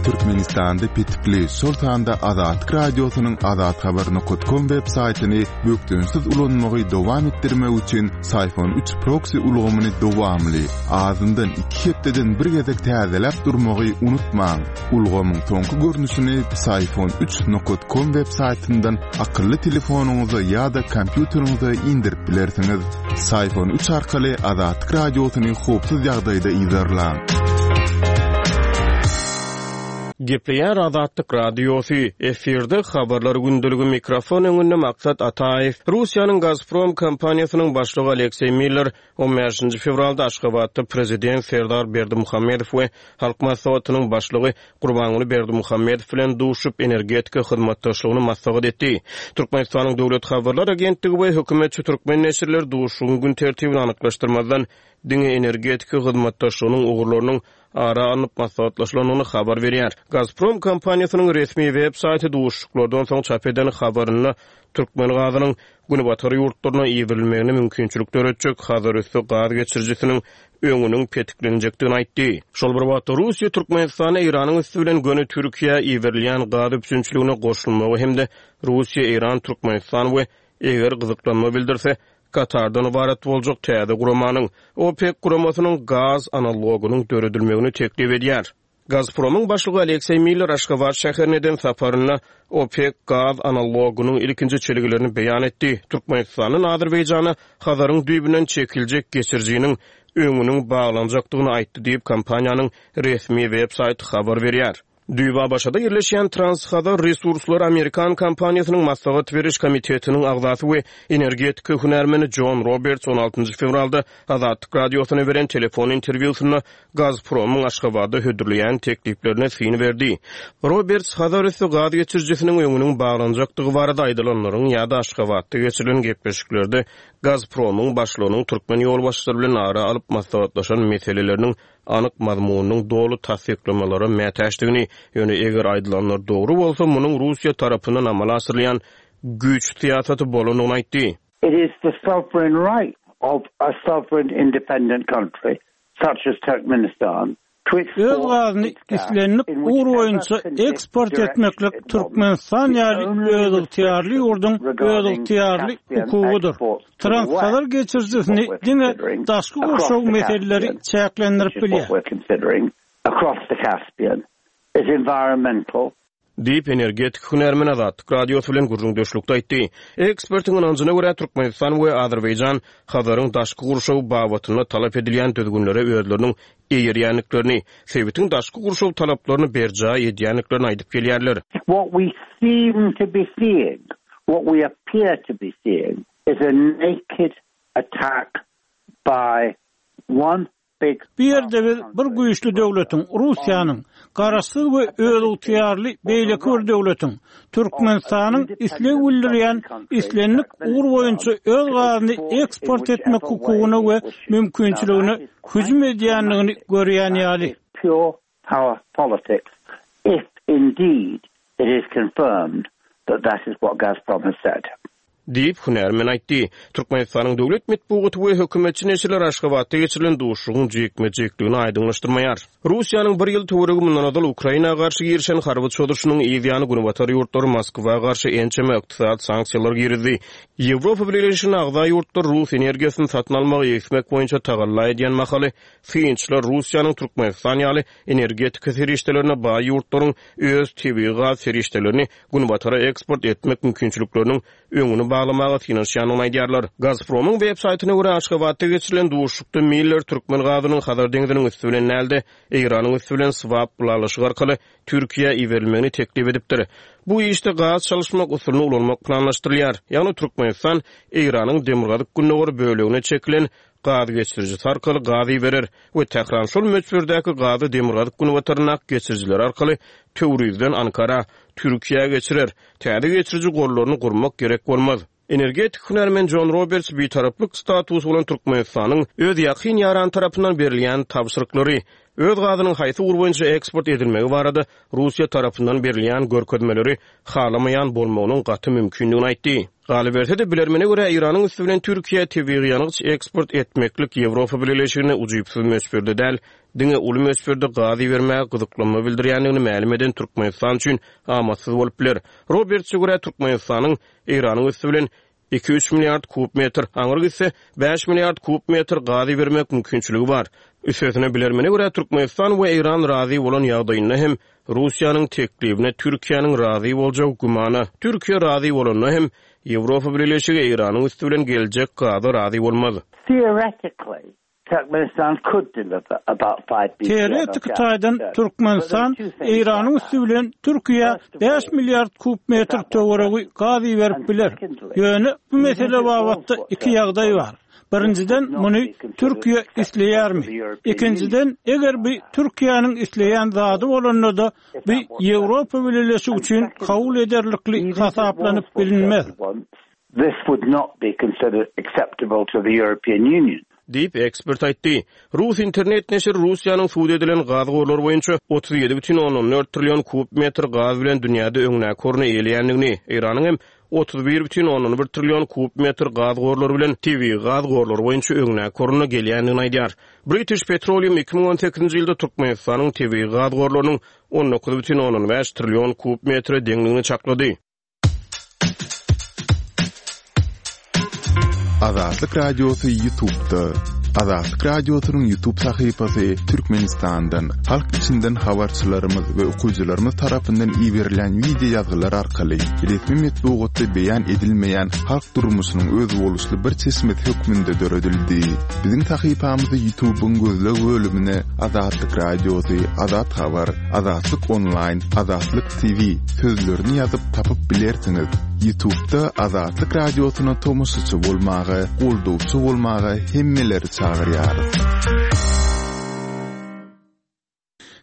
Türkmenistanda petikli, şol sanda Azatlyk Radiosynyň azathabar.com web saýtyny bökdençsiz ulanmagy dowam etdirmek üçin Syfon 3 proksi ulgamyny dowamly, azyndan iki hepdeden bir gezek täzeläp durmagy unutmaň. Ulgamyň soňky görnüşini Psiphon 3 nokat com web saýtyndan akylly telefonyňyza ýa-da kompýuteriňize indirip bilersiňiz. Psiphon 3 arkaly Azatlyk Radiosyny howpsuz ýagdaýda yzarlaň. Gepleýär Azatlyk Radiosy, efirde Habarlar gündeligi mikrofon öňünde Maksat Ataýew. Russiýanyň Gazprom kompaniýasynyň başlygy Alekseý Miller On bäşinji fewralda Aşgabatda Prezident Serdar Berdimuhamedow we Halk Maslahatynyň Başlygy Gurbanguly Berdimuhamedow bilen duşup, energetika hyzmatdaşlygyny maslahat etdi. Türkmenistanyň Döwlet habarlar agentligi we hökümetçi türkmen neşirleri duşuşygyň gün tertibini anyklaşdyrmazdan, diňe energetika hyzmatdaşlygynyň ugurlarynyň ara alnyp maslahatlaşylandygyny habar berýär. Gazprom kompaniýasynyň resmi web saýty duşuşyklardan soň çap eden habarynda türkmen gazynyň Günbatar ýurtlaryna iberilmegine mümkinçilik döretjek Hazarüsti gaz geçirijisiniň öňüniň petiklenjekdigini aýtdy. Şol bir wagtda, Russiýa Türkmenistana Eýranyň üsti bilen göni Türkiýä iberilýän gaz üpjünçiligine goşulmagy hem-de Russiýa, Eýran, Türkmenistan we eger gyzyklanma bildirse, Katardan ybarat boljak täze guramanyň, OPEK guramasynyň gaz analogynyň döredilmegini teklip edýär. Gazpromyň başlygy Alekseý Miller Aşgabat şäherine eden saparynda OPEK gaz analogynyň ilkinji çelgilerini beýan etdi. Türkmenistandan Azerbaýjana Hazaryň düýbünden çekiljek geçirijiniň öňüniň baglanjakdygyny aýtdy diýip, kompaniýanyň resmi web saýty habar berýär. Düýbi ABŞ-da ýerleşýän Trans-Hazar Resurslary amerikan kompaniýasynyň maslahat beriş komitetiniň agzasy we energetika hünärmeni Jon Roberts on altynjy fewralda Azatlyk Radiosyna beren telefon interwýusynda Gazpromyň Aşgabatda hödürleýän tekliplerine syn berdi. Roberts Hazarüsti gaz geçirijisiniň öňüniň baglanjakdygy barada aýdylanlaryň ýa-da Aşgabatda geçirilen gepleşiklerde Gazpromyň başlygynyň türkmen ýolbaşçylary bilen ara alyp maslahatlaşan meseleleriniň anyk mazmunynyň doly tassyklamalara mätäçdigini, ýöne eger aýdylanlar dogry bolsa, munuň Russiýa tarapyndan amala aşyrylýan güýç syýasaty bolandygyny aýtdy. It is the sovereign right of a sovereign independent country such as Turkmenistan to Öz gazyny islendik ugur boýunça eksport etmeklik Türkmenistan ýaly özygtyýarly ýurduň özygtyýarly hukugydyr. Transhazar geçirijisini diňe daşky gurşaw meseleleri çäklendirip bilýär. Diýip, energetik hünärmen Azatlyk Radiosy bilen gürrüňdeşlikde aýtdy. Ekspertiň ynanjyna görä, Türkmenistan we Azerbaýjan Hazaryň daşky gurşawy babatynda talap edilýän düzgünlere özleriniň eýerýändiklerini, sebitiň daşky gurşaw talaplaryny berjaý edýändiklerini aýdyp gelýärler. What we seem to be seeing, what we appear to be seeing is a naked attack by one Bu ýerde biz bir güýçli döwletiň, Russiýanyň, garaşsyz we özygtyýarly beýleki bir döwletiň, Türkmenistanyň isleg bildirýän islendik ugur boýunça öz gazyny eksport etmek hukugyna we mümkinçiligine hüjüm edýändigini görýän ýaly. Diýip, hünärmen aýtdy. Türkmenistanyň döwlet metbugaty we hökümetçi neşirler Aşgabatda geçirilen duşuşygyň jikme-jikligini aýdyňlaşdyrmaýar. Russiýanyň bir ýyl töweregi mundan ozal Ukraina garşy girişen harby çozuşynyň yz ýany Günbatar ýurtlary Moskwa garşy ençeme ykdysady sanksiýalar girizdi. Ýewropa Bileleşigine agza ýurtlar rus energiýasyny satyn almagy egsmek boýunça tagalla edýän mahaly, synçylar Russiýanyň Türkmenistan ýaly energetika serişdelerine baý ýurtlaryň öz tebigy gaz serişdelerini Günbatara eksport etmek mümkinçilikleriniň öňüni baglamaga synanyşýandygyny aýdýarlar. Gazpromyň web saýtyna görä, Aşgabatda geçirilen duşuşykda Miller türkmen gazynyň Hazar deňziniň üsti bilen däl-de, Eýranyň üsti bilen swap ylalaşygy arkaly Türkiýä iberilmegini teklip edipdir. Bu işde gaz çalyşmak usulyny ulanmak planlaşdyrylýar. Ýagny Türkmenistan Eýranyň demirgazyk-gündogar bölegine çekilen gaz geçirijisi arkaly gaz iberer we Tähran şol möçberdäki gazy demirgazyk-günbataryndaky geçirijiler arkaly Töwrizden Ankara, Türkiýä geçirer. Täze geçiriji gollaryny gurmak gerek bolmaz. Energetik hünärmen Jon Roberts bitaraplyk statusy bolan Türkmenistanyň öz ýakyn ýarany tarapyndan berilýän tabşyryklary, öz gazynyň haýsy ugur boýunça eksport edilmegi barada Russiýa tarapyndan berilýän görkezmeleri halamaýan bolmagynyň gaty mümkindigini aýtdy. Galyberse-de, bilermene görä, Eýranyň üsti bilen Türkiýä tebigy ýangyç eksport etmeklik Ýewropa Bileleşigine ujypsyz möçberde däl, diňe uly möçberde gaz ibermäge gyzyklanma bildirýändigini mälim eden Türkmenistan üçin amatsyz bolup biler. Robertse görä, Türkmenistanyň Eýranyň üsti bilen iki-üç milliard kub metr, aňry gitse, bäş milliard kub metr gaz ibermek mümkinçiligi bar. Üstesine, bilermene görä, Türkmenistan we Eýran razy bolan ýagdaýynda hem Russiýanyň teklibine Türkiýäniň razy boljagy gümana. Türkiýe razy bolanda hem, Ýewropa Bileleşigi Eýranyň üsti bilen geljek gaza razy bolmaz. Theoretically, Turkmenistan could deliver about five BCM of Teoretiki taýdan Türkmenistan Eýranyň üsti bilen Türkiýä bäş milliard kub metr töweregi gaz iberip biler. Ýöne bu mesele babatda iki ýagdaý bar. Birinjiden, muny Türkiýe isleýärmi? Ikinjiden, eger bu Türkiýäniň isleýän zady bolanda-da, bu Ýewropa Bileleşigi üçin kabul ederlikli hasaplanyp bilinmez. This would not be considered acceptable to the European Union. Diýip, ekspert aýtdy. Rus internet neşiri Russiýanyň sud edilen gaz gorlary boýunça 37,4 trillion kub metr gaz bilen dünýäde öňdäki orny eýeleýändigini, Eýranyň hem 31,1 trillion kub metr gaz gorlary bilen tebigy gaz gorlary boýunça öňdäki orunda gelýändigini aýdýar. British Petroleum 2018-nji ýylda Türkmenistanyň tebigy gaz gorlarynyň 19,5 trillion kub metre deňdigini çaklady. Azatlyk Radiosy YouTube'da. Azatlyk Radiosynyň YouTube sahypasy Türkmenistandan, halk içinden habarçylarymyz we okyjylarymyz tarapyndan iberilen wideo ýazgylar arkaly resmi metbugatda beýan edilmeýän halk durmuşynyň özboluşly bir çeşmesi hökmünde döredildi. Biziň sahypamyzy YouTube'yň gözleg bölümine Azatlyk Radiosy, Azat Habar, Azatlyk Onlaýn, Azatlyk TV sözlerini ýazyp tapyp bilersiňiz. Ýutubda Azatlyk Radiosyna tomaşaçy bolmaga, goldawçy bolmaga hemmeleri çagyrýarys.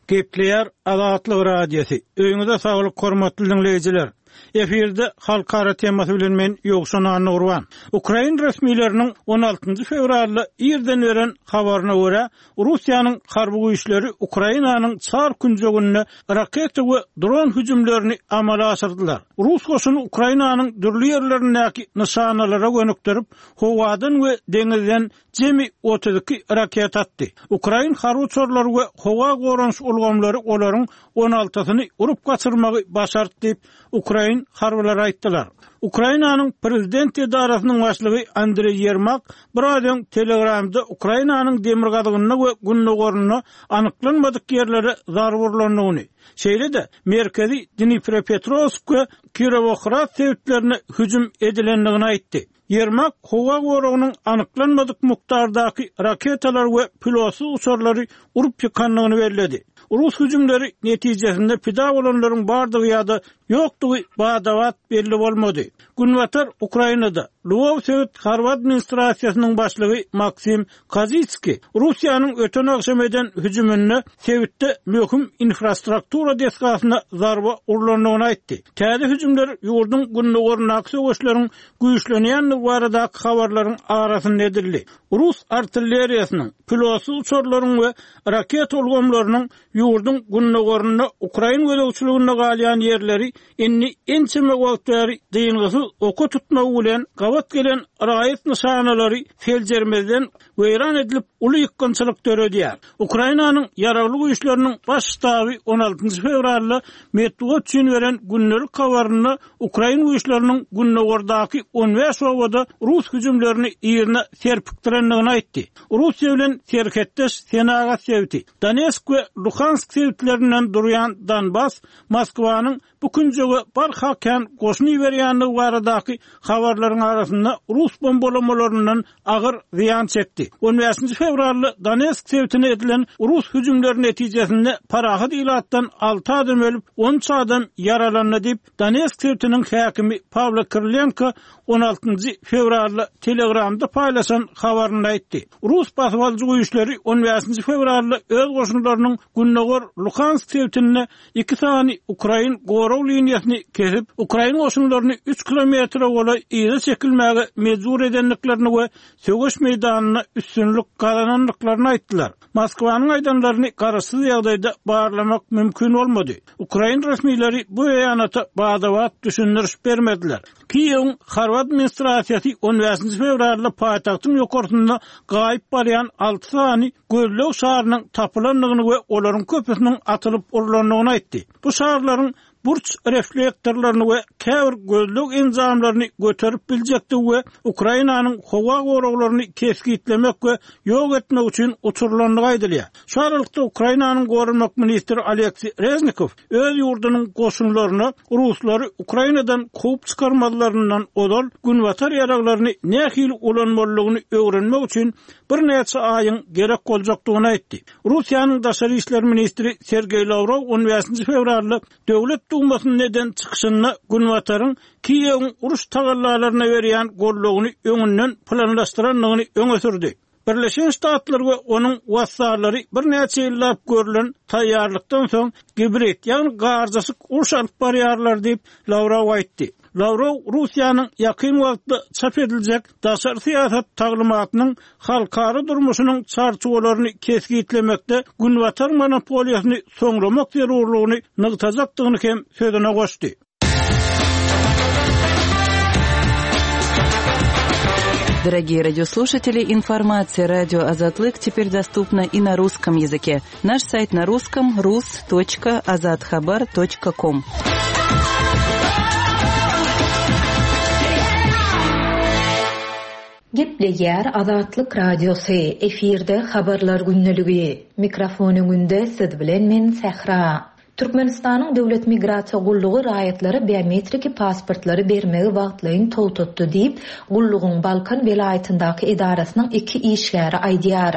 Gepleýär Azatlyk Radiosy. Öýüňize saglyk hormatly diňleýjiler. Efirde halkara temasy bilen men Ýowşan Annagurban. Ukrain resmileriniň on altynjy fewralda irden beren habaryna görä, Russiýanyň harby güýçleri Ukrainanyň çar künjeginde raketa we dron hüjümlerini amala aşyrdylar. Rus goşuny Ukrainanyň dürli ýerlerindäki nyşanalara gönükdirip, howadan we deňizden jemi 32 raketa atdy. Ukrain harby uçarlary we howa goranyş ulgamlary olaryň on altysyny urup gaçyrmagy başardy diýip, ukrain harbylary aýtdylar. Ukrainanyň prezident edarasynyň başlygy Andreý Ýermak biraz öň Telegramda Ukrainanyň demirgazygynda we gündogarynda anyklanmadyk ýerlere zarba urlandygyny, şeýle-de merkezi Dniprepetrowsk we Kirowohrad sebitlerine hüjüm edilendigini aýtdy. Ýermak howa goragynyň anyklanmadyk mukdardaky raketalary we pilotsyz uçarlary urup ýykandygyny belledi. Rus hüjümleri netijesinde pida bolanlaryň bardygy ýa-da ýokdugy bada-bat belli bolmady. Günbatar Ukrainada Lwow sebit harby administrasiýasynyň başlygy Maksim Kozitskiý Russiýanyň öten agşam eden hüjüminde sebitde möhüm infrastruktura desgasyna zarba urlandygyny aýtdy. Täze hüjümler ýurduň gündogaryndaky söweşleriň güýçlenýändigi baradaky habarlaryň arasynda edildi. Rus artilleriýasynyň, pilotsyz uçarlaryň we raketa ulgamlarynyň ýurduň gündogarynda ukrain gözegçiliginde galýan ýerleri indi ençeme wagt bäri dyngysyz oka tutmagy bilen gabat gelen raýat nyşanalary seljermezden weýran edilip, uly ýykgynçylyk döredýär. Ukrainanyň Ýaragly Güýçleriniň Baş ştaby on altynjy fewralda metbugat üçin beren gündelik habarynda ukrain güýçleriniň gündogardaky on bäş obada rus hüjümlerini yzyna serpikdirendigini aýtdy. Russiýa bilen serhetdeş senagat sebiti, Donetsk we Luhansk sebitlerinden durýan Donbas Moskwanyň bu künjege barha kän goşun iberýändigi baradaky habarlaryň arasynda rus bombalamalaryndan agyr zyýan çekdi. On bäşinji fewralda Donetsk sebitine edilen rus hüjümleri netijesinde parahat ilatdan alty adam ölüp, on üç adam ýaralandy diýip, Donetsk sebitiniň häkimi Pawlo Kirilenko on altynjy fewralda Telegramda paýlaşan habarynda aýtdy. Rus basybalyjy güýçleri on bäşinji fewralda öz goşunlarynyň gündogar Luhansk sebitinde iki sany ukrain gorag liniýasyny kesip, ukrain goşunlaryny üç kilometre golaý yza çekilmäge mejbur edendiklerini we söweş meýdanynda üstünlik gazanandyklaryny aýtdylar. Moskwanyň aýdanlaryny garaşsyz ýagdaýda barlamak mümkin bolmady. Ukrain resmileri bu beýanata bada-bat düşündiriş bermediler. Kiýewiň harby administrasiýasy on bäşinji fewralda paýtagtyň ýokarsynda gaýyp barýan alty sany gözleg şarynyň tapylandygyny we olaryň köpüsiniň atylyp urlandygyny aýtdy. Bu şarlaryň burç reflektorlaryny we käbir gözleg enjamlaryny göterip biljekdigi we Ukrainanyň howa goraglaryny kesgitlemek we ýok etmek üçin uçurylandygy aýdylýar. Şu aralykda Ukrainanyň goranmak ministri Oleksiý Reznikow öz ýurdunyň goşunlaryna ruslary Ukrainadan kowup çykarmazlaryndan ozal günbatar ýaraglaryny nähili ulanmalydygyny öwrenmek üçin birnäçe aýyň gerek boljakdygyny aýtdy. Russiýanyň daşary işler ministri Sergeý Lawrow on bäşinji fewralda Döwlet Dumasynda eden çykyşynda Günbataryň Kiýewiň uruş tagallalaryna berýän goldawyny öňünden planlaşdyrandygyny öňe sürdi. Birleşen Ştatlar we onuň wassallary birnäçe ýyllap görlen taýýarlykdan soň gibrid, ýagny garjaşyk uruş alyp barýarlar diýip, Lawrow aýtdy. Lawrow Russiýanyň ýakyn wagtda çap ediljek daşary syýasat taglymatynyň halkara durmuşynyň çarçuwalaryny kesgitlemekde Günbatar monopoliýasyny soňlamak zerurlygyny nygtajakdygyny hem sözüne goşdy. Дорогие радиослушатели, информация радио Азатлык теперь доступна и на русском языке. Наш сайт на русском rus.azathabar.com. Gepleýär Azatlyk Radiosy, efirde Habarlar gündeligi. Mikrofon öňünde siz bilen men Sähra. Türkmenistanyň Döwlet migrasiýa gullugy raýatlara biometriki pasportlary bermegi wagtlaýyn togtatdy diýip, gullugyň Balkan welaýatyndaky edarasynyň iki işgäri aýdýar.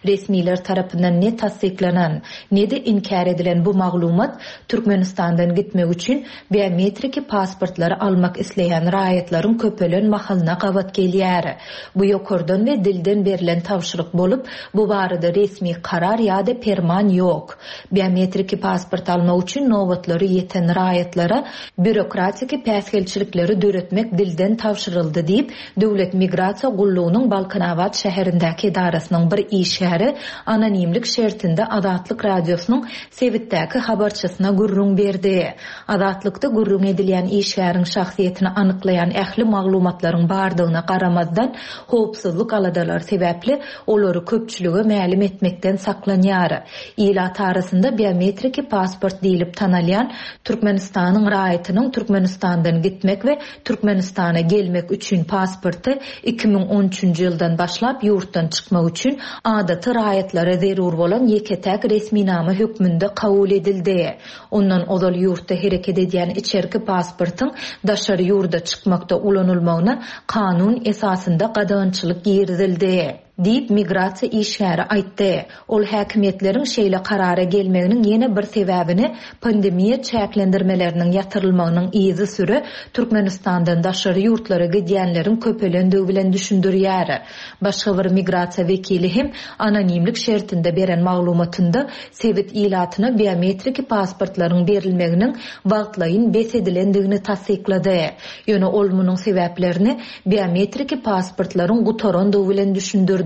Resmiler tarapyndan ne tassyklanan, ne-de inkär edilen bu maglumat Türkmenistandan gitmek üçin biometriki pasportlary almak isleýän raýatlaryň köpelen mahalyna gabat gelýär. Bu ýokardan we dilden berlen tabşyryk bolup, bu barada resmi karar ýa-da perman ýok. Biometriki pasport almak üçin nobatlary ýeten raýatlara býurokratiki päsgelçilikleri döretmek dilden tabşyryldy diýip, Döwlet migrasiýa gullugynyň Balkanabat şäherindäki edarasynyň bir işgäri anonimlik şertinde Azatlyk Radiosynyň sebitdäki habarçysyna gürrüň berdi. Azatlykda gürrüň edilýän işgäriň şahsyýetini anyklaýan ähli maglumatlaryň bardygyna garamazdan, howpsuzlyk aladalary sebäpli olary köpçülige mälim etmekden saklanýar. Ilat arasynda biometriki pasport diýlip tanalýan Türkmenistanyň raýatynyň Türkmenistandan gitmek we Türkmenistana gelmek üçin pasporty 2013-nji ýyldan başlap ýurtdan çykmak üçin adaty raýatlara zerur bolan ýeke-täk resminama hökmünde kabul edildi. Ondan ozal ýurtda hereket edýän içerki pasportyň daşary ýurda çykmakda ulanylmagyna kanun esasynda gadagançylyk girizildi. Diýip, migrasiýa işgäri aýtdy. Ol häkimiýetleriň şeýle karara gelmeginiň ýene bir sebäbini pandemiýa çäklendirmeleriniň ýatyrylmagynyň yzysüre Türkmenistandan daşary ýurtlara gidýänleriň köpelendigi bilen düşündirýär. Başga bir migrasiýa wekili hem anonimlik şertinde beren maglumatynda sebit ilatyna biometriki pasportlaryň berilmeginiň wagtlaýyn bes edilendigini tassyklady. Ýöne ol munuň sebäplerini biometriki pasportlaryň gutarandygy bilen düşündirdi.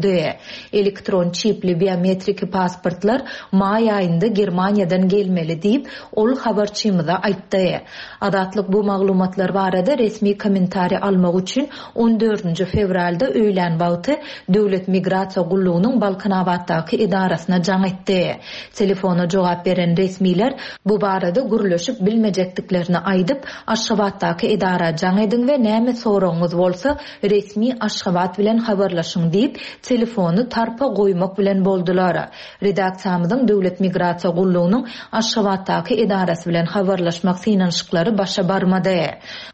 Elektron çipli biometriki pasportlar maý aýynda Germaniýadan gelmeli diýip, ol habarçymyza aýtdy. Azatlyk bu maglumatlar barada resmi kommentariý almak üçin on dördünji fewralda öýlän wagty Döwlet migrasiýa gullugynyň Balkanabatdaky edarasyna jaň etdi. Telefona jogap beren resmiler bu barada gürleşip bilmejekdiklerini aýdyp, Aşgabatdaky edara jaň ediň we näme soragyňyz bolsa, resmi Aşgabat bilen habarlaşyň diýip, telefony tarpa goýmak bilen boldular. Redaksiýamyzyň Döwlet migrasiýa gullugynyň Aşgabatdaky edarasy bilen habarlaşmak synanyşyklary başa barmady.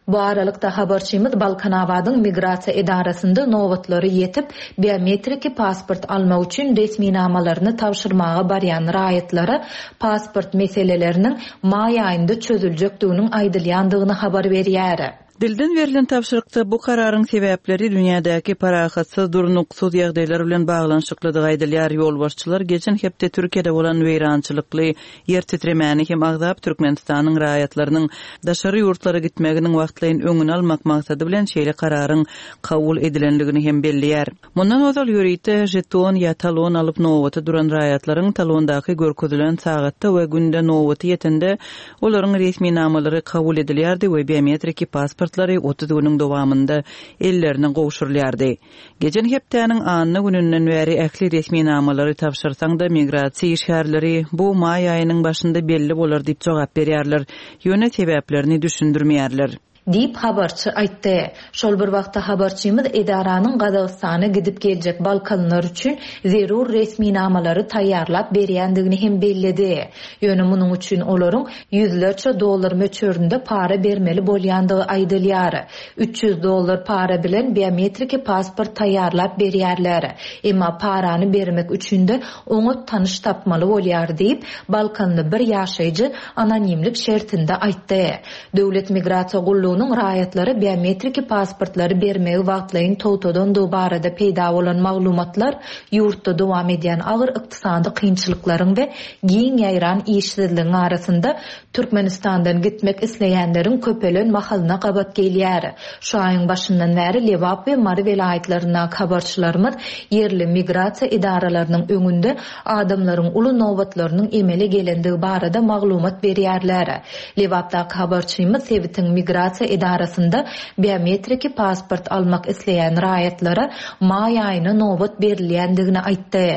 Bu aralykda, habarçymyz Balkanabadyň migrasiýa edarasynda nobatlary ýetip, biometriki pasport almak üçin resminamalaryny tabşyrmaga barýan raýatlara pasport meseleleriniň maý aýynda çözüljekdiginiň aýdylýandygyny habar berýär. Dilden berlen tabşyrykda bu kararyň sebäpleri dünýädäki parahatsyz, durnuksyz ýagdaýlar bilen baglanyşyklydygy aýdylýar. Ýolbaşçylar geçen hepde Türkiýede bolan weýrançylykly ýer titremäni hem agzap, Türkmenistanyň raýatlarynyň daşary ýurtlara gitmeginiň wagtlaýyn öňüni almak maksady bilen şeýle kararyň kabul edilendigini hem belleýär. Mundan ozal ýörite žeton ýa talon alyp nobata duran raýatlaryň talondaky görkezilen sagatda we günde nobaty ýetende olaryň resminamalary kabul edilýärdi we biometriki pasportlary 30 günüň dowamynda ellerine gowşurylýardy. Geçen hepdäniň anna gününden bäri ähli resminamalary tabşyrsaň-da migrasiýa işgärleri bu maý aýynyň başynda belli bolar diýip jogap berýärler, ýöne sebäplerini düşündirmeýärler. Diýip, habarçy aýtdy. Şol bir wagtda, habarçymyz edaranyň Gazagystana gidip geljek balkanlylar üçin zerur resminamalary taýýarlap berýändigini hem belledi. Ýöne munuň üçin olaryň ýüzlerçe dollar möçberinde para bermeli bolýandygy aýdylýar. 300 dollar para bilen biometriki pasport taýýarlap berýärler. Emma parany bermek üçin-de oňat tanyş tapmaly bolýar diýip, balkanly bir ýaşaýjy anonimlik şertinde aýtdy. Döwlet migrasiýa gullugynyň raýatlara biometriki pasportlary bermegi wagtlaýyn togtadandygy barada peýda bolan maglumatlar ýurtda dowam edýän agyr ykdysady kynçylyklaryň we giň ýaýran işsizligiň arasynda Türkmenistandan gitmek isleýänleriň köpelen mahalyna gabat gelýär. Şu aýyň başyndan bäri Lebap we Mary welaýatlaryndaky habarçylarymyz ýerli migrasiýa edaralarynyň öňünde adamlaryň uly nobatlarynyň emele gelendigi barada maglumat berýärler. Lebapdaky habarçymyz sebitiň migrasiýa edarasynda biometriki pasport almak isleýän raýatlara maý aýyna nobat berilýändigini aýtdy.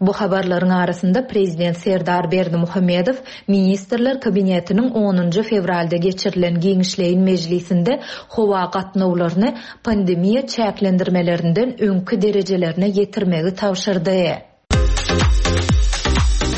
Bu habarlaryň arasynda prezident Serdar Berdimuhamedow Ministrler Kabinetiniň onunjy fewralda geçirilen giňişleýin mejlisinde howa gatnawlaryny pandemiýa çäklendirmelerinden öňki derejelerine ýetirmegi tabşyrdy.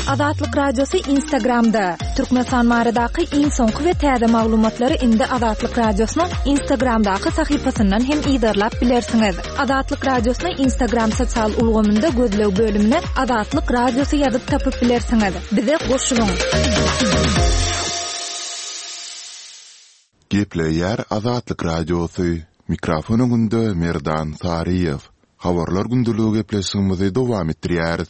Azatlyk Radiosy Instagramda, Türkmenistan baradaky iň soňky we täze maglumatlary indi Azatlyk Radiosynyň Instagramdaky sahypasyndan hem yzarlap bilersiňiz. Azatlyk Radiosyny Instagram sosial ulgamynda gözleg bölümine Azatlyk Radiosy ýazyp tapyp bilersiňiz. Bize goşulyň! Gepleýär Azatlyk Radiosy, mikrofon öňünde Merdan Saryýew. Habarlar gündeligi gepleşigimizi dowam etdirýäris.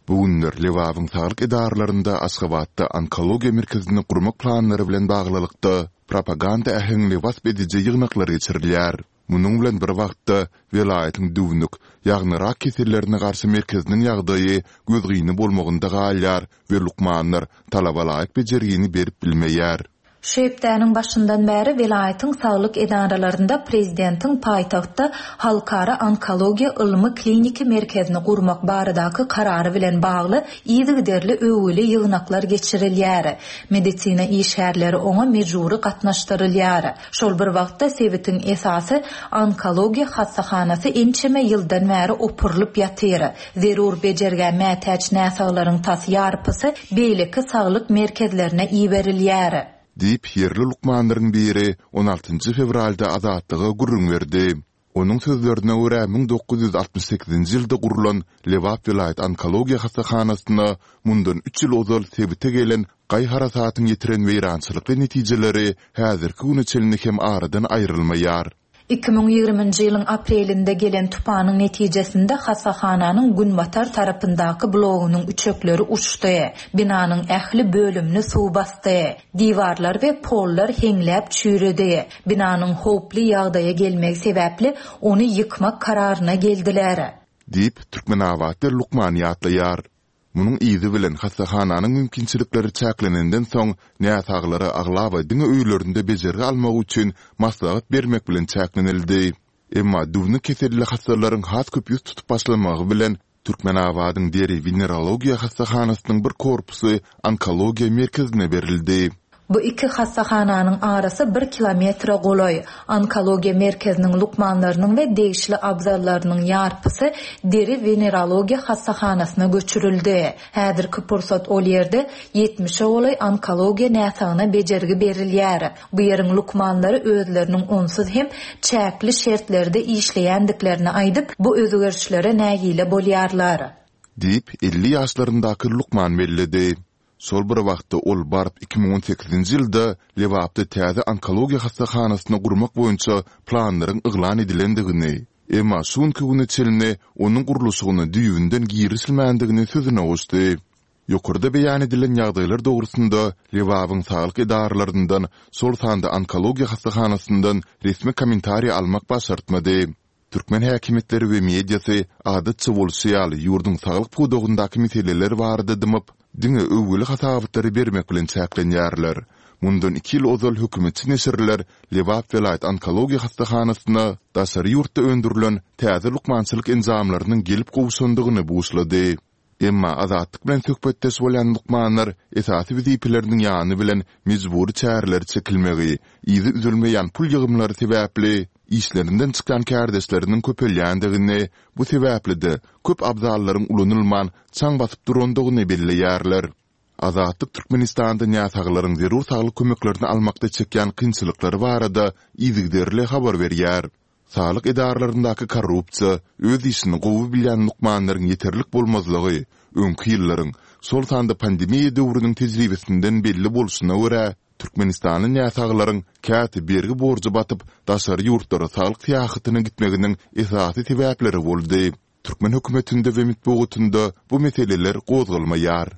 Bu günler Lebabyň saglyk edaralarynda Aşgabatda onkologiýa merkezini gurmak planlary bilen baglylykda propaganda äheňli wasp ediji ýygnaklar geçirilýär. Munuň bilen bir wagtda, welaýatyň düwnük, ýagny rak kesellerine garşy merkeziniň ýagdaýy gözgyny bolmagynda galýar we lukmanlar talabalaýyk bejergini berip bilmeýär. Şu hepdäniň başyndan bäri welaýatyň saglyk edaralarynda prezidentiň paýtagtda Halkara onkologiýa ylmy-kliniki merkezini gurmak baradaky karary bilen bagly yzygiderli öwgüli ýygnaklar geçirilýär. Medisina işgärleri oňa mejbury gatnaşdyrylýar. Şol bir wagtda, sebitiň esasy onkologiýa hassahanasy ençeme ýyldan bäri opurylyp ýatyr. Zerur bejergä mätäç näsaglaryň tas ýarpysy beýleki saglyk merkezlerine iberilýär. Diýip, ýerli lukmanlaryň biri on altynjy fewralda Azatlyga gürrüň berdi. Onuň sözlerine görä, 1968-nji ýylda gurlan Lebap welaýat onkologiýa hassahanasyna mundan üç ýyl ozal sebite gelen gaý-harasatyň ýetiren weýrançylykly netijeleri häzirki güne çenli hem aradan aýrylmaýar. 2020-nji ýylyň aprelinde gelen tupanyň netijesinde hassahananyň günbatar tarapyndaky blogunyň üçekleri uçdy, binanyň ähli bölümini suw basdy, diwarlar we pollar heňläp çüýredi. Binanyň howply ýagdaýa gelmegi sebäpli ony ýykmak kararyna geldiler. Diýip, türkmenabatly lukman ýatlaýar. Munuň yzy bilen hassahananyň mümkinçilikleri çäklenenden soň, näsaglara aglaba diňe öýlerinde bejergi almagy üçin maslahat bermek bilen çäklenildi. Emma düwnük keselli hassalaryň has köp ýüz tutup başlamagy bilen, Türkmenabadyň deri-wenerologiýa hassahanasynyň bir korpusy onkologiýa merkezine berildi. Bu iki hassahananyň arasy bir kilometre golaý. Onkologiýa merkeziniň lukmanlarynyň we degişli abzallarynyň ýarpysy deri-wenerologiýa hassahanasyna göçürildi. Häzirki pursat ol ýerde ýetmişe golaý onkologiýa näsagyna bejergi berilýär. Bu ýeriň lukmanlary özleriniň onsuz hem çäkli şertlerde işleýändiklerini aýdyp, bu özgerişlere nägile bolýarlar. Diýip, 50 ýaşlaryndaky lukman belledi. Şol bir wagtda ol baryp 2018-nji ýylda Lebapda täze onkologiýa hassahanasyny gurmak boýunça planlaryň yglan edilendigini, emma şu günki güne çenli onuň gurluşygyna düýbünden girişilmändigini sözüne goşdy. Ýokarda beýan edilen ýagdaýlar dogrusynda Lebabyň saglyk edaralaryndan, şol sanda onkologiýa hassahanasyndan resmi kommentariý almak başartmady. Türkmen häkimiýetleri we mediasy, adatça bolşy ýaly, ýurduň saglyk pudagyndaky meseleler barada dymyp, diňe öwgüli hasabatlary bermek bilen çäklenýärler. Mundan iki ýyl ozal hökümetçi neşirler Lebap welaýat onkologiýa hassahanasyna daşary ýurtda öndürilen täze lukmançylyk enjamlarynyň gelip gowşandygyny buşlady. Emma Azatlyk bilen söhbetdeş bolýan lukmanlar esasy wezipeleriniň ýany bilen mejbury çärelere çekilmegi, yzy üzülmeýän pul ýygymlary sebäpli işlerinden çykýan kärdeşleriniň köpelýändigini, bu sebäpli-de köp abzallaryň ulanylman çaň basyp durandygyny belleýärler. Azatlyk Türkmenistanda näsaglaryň zerur saglyk kömeklerini almakda çekýän kynçylyklary barada yzygiderli habar berýär. Saglyk edaralaryndaky korrupsiýa, öz işini gowy bilýän lukmanlaryň ýeterlik bolmazlygy öňki ýyllaryň, şol sanda pandemiýa döwrüniň tejribesinden belli bolşuna görä, türkmenistanly näsaglaryň käte bergi-borja batyp, daşary ýurtlara saglyk syýahatyna gitmeginiň esasy sebäpleri boldy. Türkmen hökümetinde we metbugatynda bu meseleler gozgalmaýar.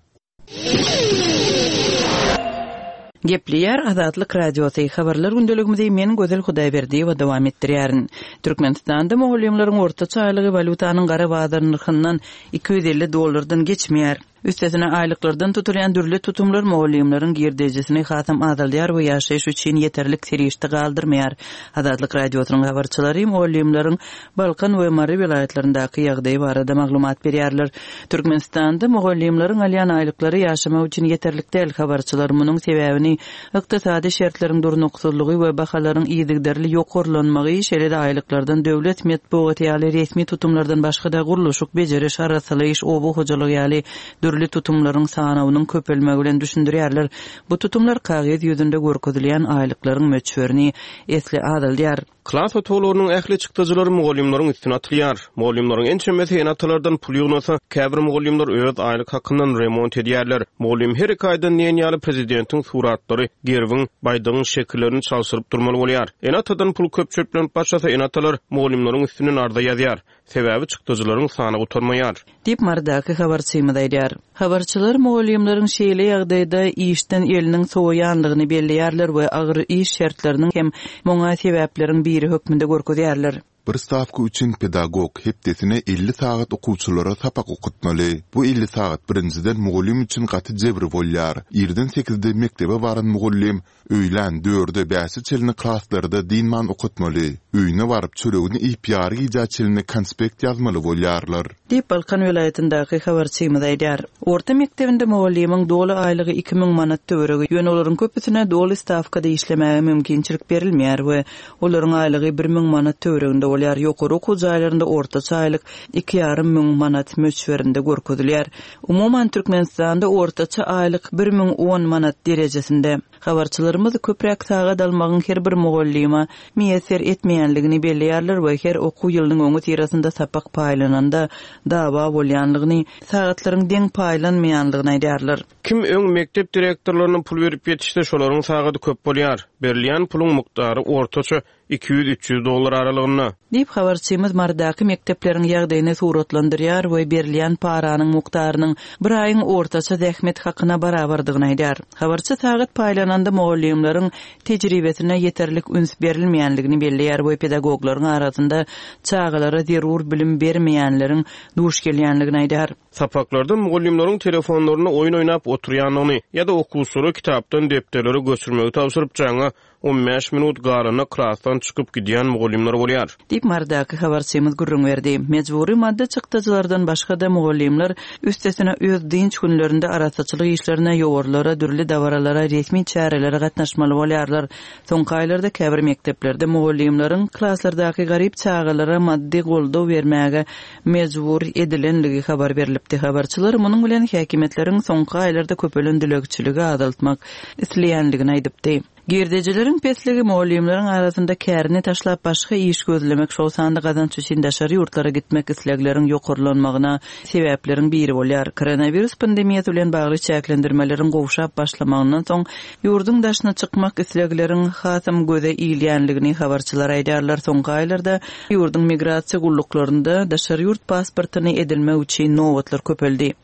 Gepleýär Azatlyk Radiosy, Habarlar gündeligimizi men Gözel Hudaýberdiýewa dowam etdirýärin. Türkmenistanda mugallymlaryň ortaça aýlygy walýutanyň gara bazar nyrhyndan 250 dollardan geçmeýär. Üstesine aýlyklardan tutulýan dürli tutumlar mugallymlaryň girdejisini hasam azaldýar we ýaşaýyş üçin ýeterlik serişde galdyrmaýar. Azatlyk Radiosynyň habarçylary mugallymlaryň Balkan we Mary welaýatlaryndaky ýagdaý barada maglumat berýärler. Türkmenistanda mugallymlaryň alýan aýlyklary ýaşamak üçin ýeterlik däl. Habarçylar munuň sebäbini ykdysady şertleriň durnuksyzlygy we bahalaryň yzygiderli ýokarlanmagy, şeýle-de aýlyklardan döwlet metbugaty ýaly resmi tutumlardan başga-da gurluşyk, bejeriş, arassalaýyş, oba hojalygy ýaly dürli tutumlaryň sanawynyň köpelmegi bilen düşündirýärler. Bu tutumlar kagyz ýüzünde görkezilýän aýlyklaryň möçberini esli azaldýar. Klas otaglarynyň ähli çykdajylary mugallymlaryň üstüne atylýar. Mugallymlaryň ençemesi ene-atalardan pul ýygnasa, käbir mugallymlar öz aýlyk hakyndan remont edýärler. Mugallym her iki aýdan diýen ýaly prezidentiň suratlary, gerbiň, baýdagyň şekillerini çalşyryp durmaly bolýar. Ene-atadan pul köp çöplenip başlasa, ene-atalar mugallymlaryň üstünden arza ýazýar. Sebäbi çykdajylaryň sany gutarmaýar. Diýip, Marydaky habarçymyz aýdýar. Habarçylar mugallymlaryň şeýle ýagdaýda işden eliniň sowaýanlygyny belleýärler we agyr iş şertleriniň hem muňa sebäpleriň biri hökmünde görkezýärler. Bir stawka üçin pedagog hepdesine 50 sagat okuwçylara sapak okatmaly. Bu 50 sagat birinjiden mugallym üçin gaty jebir bolýar. Irden sekizde mekdebe baran mugallym Öýlän dörde bäşe çenli klaslarda dynman okatmaly. Öýüne baryp çöregini iýip ýary gijä çenli konspekt ýazmaly bolýarlar. Diýip, Balkan welaýatyndaky habarçymyz aýdýar. Orta mekdebinde mugallymyň doly aýlygy 2000 manat töweregi, ýöne olaryň köpüsine doly stawkada işlemäge mümkinçilik berilmeýär we olaryň aýlygy 1000 manat töwereginde bolýar. Ýokary okuw jaýlarynda ortaça aýlyk iki ýarym müň manat möçberinde görkezilýär. Umuman, Türkmenistanda ortaça aýlyk 1010 manat derejesinde. Habarçylarymyz köpräk sagat almagyň her bir mugallyma miýesser etmeýänligini belleýärler we her okuw ýylynyň öňüsyrasynda sapak paýlananda dawa bolýanlygyny, sagatlaryň deň paýlanmaýanlygyny aýdýarlar. Kim öň mekdep direktorlaryna pul berip ýetişse, şolaryň sagady köp bolýar. Berilýän puluň mukdary ortaça 200-300 dollar aralygynda. Diýip, habarçymyz Marydaky mekdepleriň ýagdaýyny suratlandyrýar we berilýän paranyň mukdarynyň bir aýyň ortaça zähmet hakyna barabardygyny aýdýar. Habarçy sagat paýlananda mugallymlaryň tejribesine ýeterlik üns berilmeýänligini belleýär we pedagoglaryň arasynda çagalara zerur bilim bermeýänleriň duş gelýänligini aýdýar. Sapaklarda mugallymlaryň telefonlarynda oýun oýnap oturýandygyny ýa-da okuwçylara kitapdan depderlere göçürmegi tabşyryp, jaňa 15 minut galanda klasdan çykyp gidýän mugallymlar bolýar. Diýip, Marydaky habarçymyz gürrüň berdi. Mejbury maddy çykdajylardan başga-da, mugallymlar üstesine öz dynç günlerinde arassaçylyk işlerine, ýowarlara, dürli dabaralara, resmi çärelere gatnaşmaly bolýarlar. Soňky aýlarda käbir mekdeplerde mugallymlaryň klaslardaky garyp çagalara maddy goldaw bermäge mejbur edilenligi habar berlipdi. Habarçylar munuň bilen häkimiýetleriň soňky aýlarda köpelen dilegçiligi azaltmak isleýänligini aýdypdy. Girdejileriň pesligi mugallymlaryň arasynda kärini taşlap başga iş gözlemek, şol sanda gazanç üçin daşary ýurtlara gitmek islegleriň ýokarlanmagyna sebäpleriň biri bolýar. Koronawirus pandemiýasy bilen bagly çäklendirmeleriň gowşap başlamagyndan soň, ýurduň daşyna çykmak islegleriň hasam göze ilýänligini habarçylar aýdýarlar. Soňky aýlarda ýurduň migrasiýa gulluklarynda daşary ýurt pasportyny edinmek üçin nobatlar köpeldi.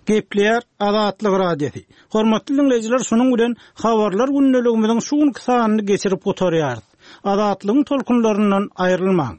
Gepleýär Azatlyk Radiosy. Hormatly diňleýjiler, şunuň bilen Habarlar gündeligimiziň şu günki sanyny geçirip gutarýarys. Azatlygyň tolkunlaryndan aýrylmaň!